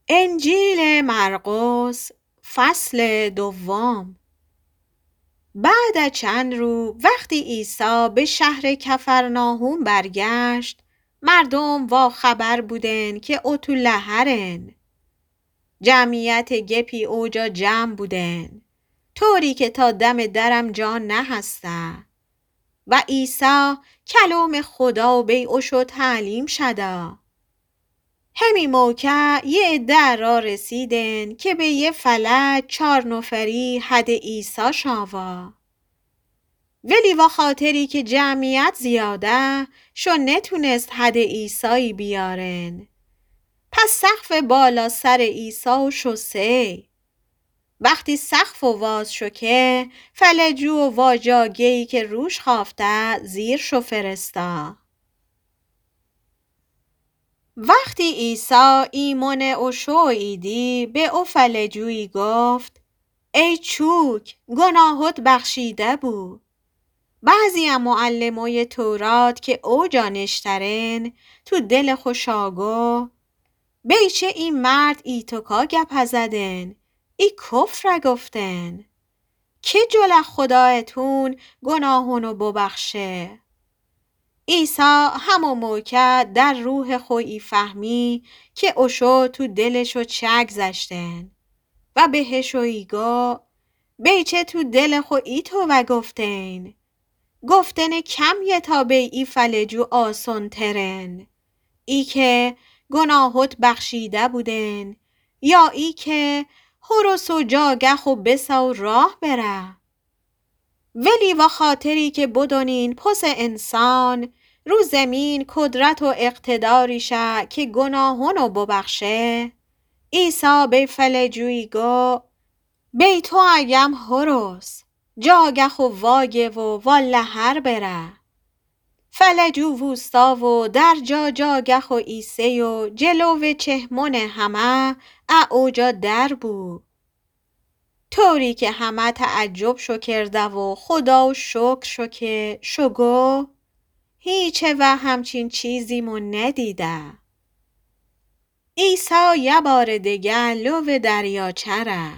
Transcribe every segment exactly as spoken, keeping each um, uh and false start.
انجیل مرقس، فصل دوم. بعد چند رو، وختی عیسی به شهر کفرناحوم برگشت، مردوم واخبر بودن که او تو لحرن. جمعیت گپی اوجا جمع بودن، طوری که تا دم درم جا نهسته. و عیسی کلام خدا بی اوشو تعلیم شده. همی موکه یه عده را رسیدن که به یه فلج چار نفری حد عیسی شاوا. ولی وخاطری که جمعیت زیاده شو، نتونست حد عیسی بیارن. پس سقف بالا سر عیسی شو سی. وختی سقف واز شو که، فلجو و واجاگه‌یی که روش خافته زیر شو فرستا. وختی عیسی ایمن اوشو ایدی، به او فلجویی گفت: ای چوک، گناهت بخشیده بو. بعضی ا معلمای تورات که اوجا نشترن، تو دل خوشا گو: بیچه ای مرد ایتوکا گپ زدن، ای کفر گفتن. که جلو خدایتون گناهونو ببخشه؟ عیسی همو موکه در روح خو ای فهمی که اوشو تو دلشو چگذشتن و بهشو ای گو: بیچه تو دل خو ایتو گفتین. گفتن کمیه تا بی ای فلجو آسون ترن. ای که گناهت بخشیده بودن، یا ای که هرس و جاگه خو بسا و راه بره؟ ولی وخاطری که بدونین پس انسان رو زمین قدرت و اقتداری شه که گناهونو ببخشه، عیسی به فلجویی گو: بی تو ایم هرس، جاگه خو واگه و وا لحر بره. فلجو ووستا و در جا جاگه خو ایسه و جلو چهمون همه ا اوجا در بو. طوری که همه تعجب شو کرده و خداو شکر شو که شو گو: هیچ وه همچین چیزی مو ندیده. عیسی یه بار دگه لو دریاچه ره.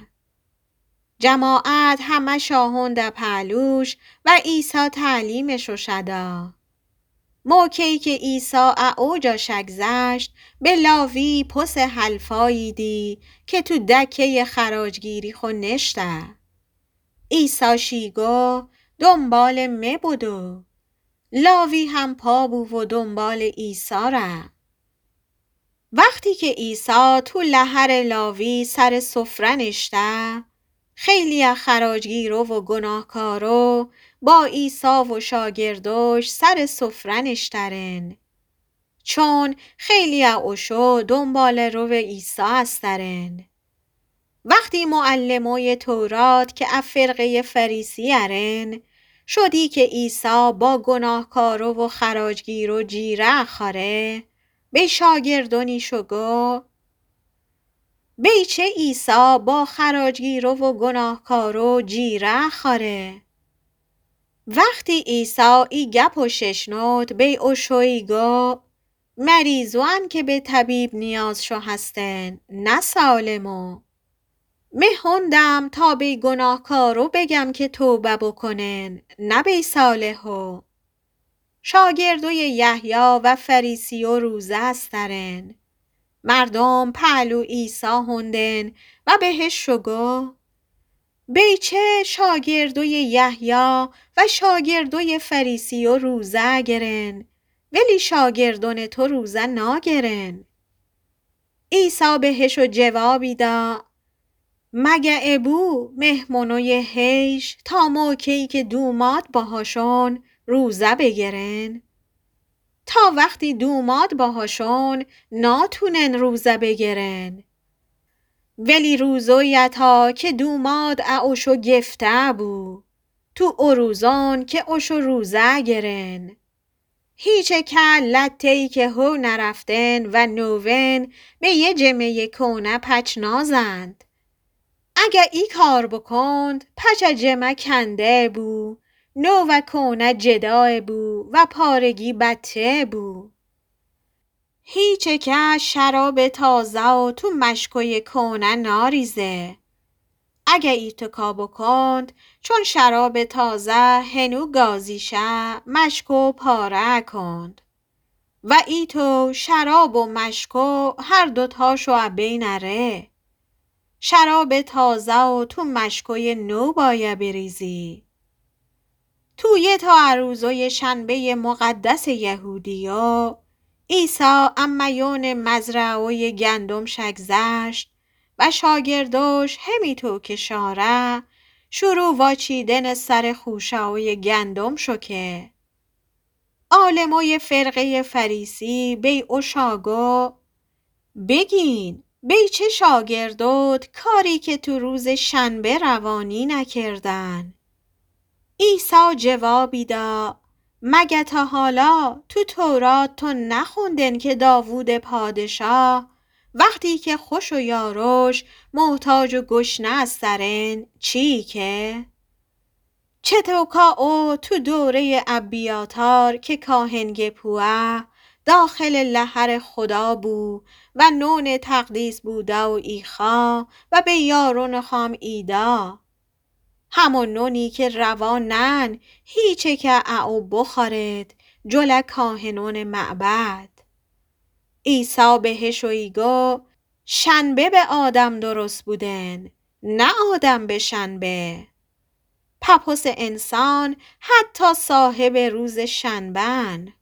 جماعت همه شاهون ده پهلوش و عیسی تعلیمشو شده. موکه‌یی که عیسی ا اوجا شگذشت، به لاوی پس حلفایی دی که تو دکه‌ی خراجگیری خو نشته. عیسی شی گو: دنبال مه بدو. لاوی هم پا بو و دنبال عیسی ره. وختی که عیسی تو لحر لاوی سر سفره نشته، خیلی ا خراجگیرو و گناهکارو با عیسی و شاگردوش سر سفره نشترن، چون خیلی ا اوشو دنباله‌رو عیسی استرن. وختی معلمای تورات که ا فرقه‌ی فریسی‌یرن شودی که عیسی با گناهکارو و خراجگیرو جیره خوره، به شاگردونیشو گو: بیچه عیسی با خراجگیرو و گناهکارو جیره خوره؟ وختی عیسی ای گپو ششنود، بی اوشویی گو: مریضوان که به طبیب نیاز شو هستن، نه سالمو. مه هوندم تا بی گناهکارو بگم که توبه بکنن، نه بی صالحو. شاگردوی یحیی و فریسیو روزه استرن. مردوم پهلو عیسی هوندن و بهشو گو: بیچه شاگردوی یحیی و شاگردوی فریسیو روزه گرن، ولی شاگردون تو روزه ناگرن؟ عیسی بهشو جوابی دا: مگه ابو مهمونوی حیش تا موکه‌یی که دوماد باهاشون روزه بگرن؟ تا وختی دوماد باهاشون ناتونن روزه بگرن. ولی روزویی اتا که دوماد ا اوشو گفته بو، تو او روزون که اوشو روزه گرن. هیچکه لته‌یی که هو نرفتن و نوون به یه جمه‌ی کونه پچ نازند. اگه ای کار بکند، پچ جمه کنده بو، نو و کونه جدا بو و پارگی بته بو. هیچکه شرابٚ تازه و تو مشکویٚ کهنه ناریزه. اگه ایتکا بوکوند، چون شرابٚ تازه هنو گازی شه، مشکو پاره کوند. و ایتو شراب و مشکو هر دوتاشو ا بین اره. شرابٚ تازه و تو مشکویٚ نو بایه بریزی. تو یه تا ا روزویٚ شنبه‌یٚ مقدسٚ یهودیو، عیسی ا میونٚ مزرعه‌ویٚ گندم شگذشت و شاگردوش همیتو که شاره، شروع واچیدنٚ سرٚ خوشه‌ویٚ گندم شو که. عالمویٚ فرقه‌یٚ فریسی بی اوشا گو: بیگین، بی چه شاگردوت کاری که تو روزٚ شنبه روا نینکردن؟ عیسی جوابی دا: مگه تا حالا تو تورات تو نخوندن که داوودٚ پادشاه وختی که خوش و یاروش محتاج و گشنه استرن چی که؟ چطوکا او تو دوره‌یٚ ابیاتار که کاهنٚ گپوه داخلٚ لحرٚ خودا بو و نونٚ تقدیس بوده و ایخا و به یارونٚ خام ایدا. همو نونی که روا نأن هیچکه ا او بوخورد جلو کاهنونٚ معبد. عیسی بهشویی گو: شنبه به آدم درست بودن، نه آدم به شنبه. پأپوسٚ انسان حتی صاحبٚ روزٚ شنبه‌ن.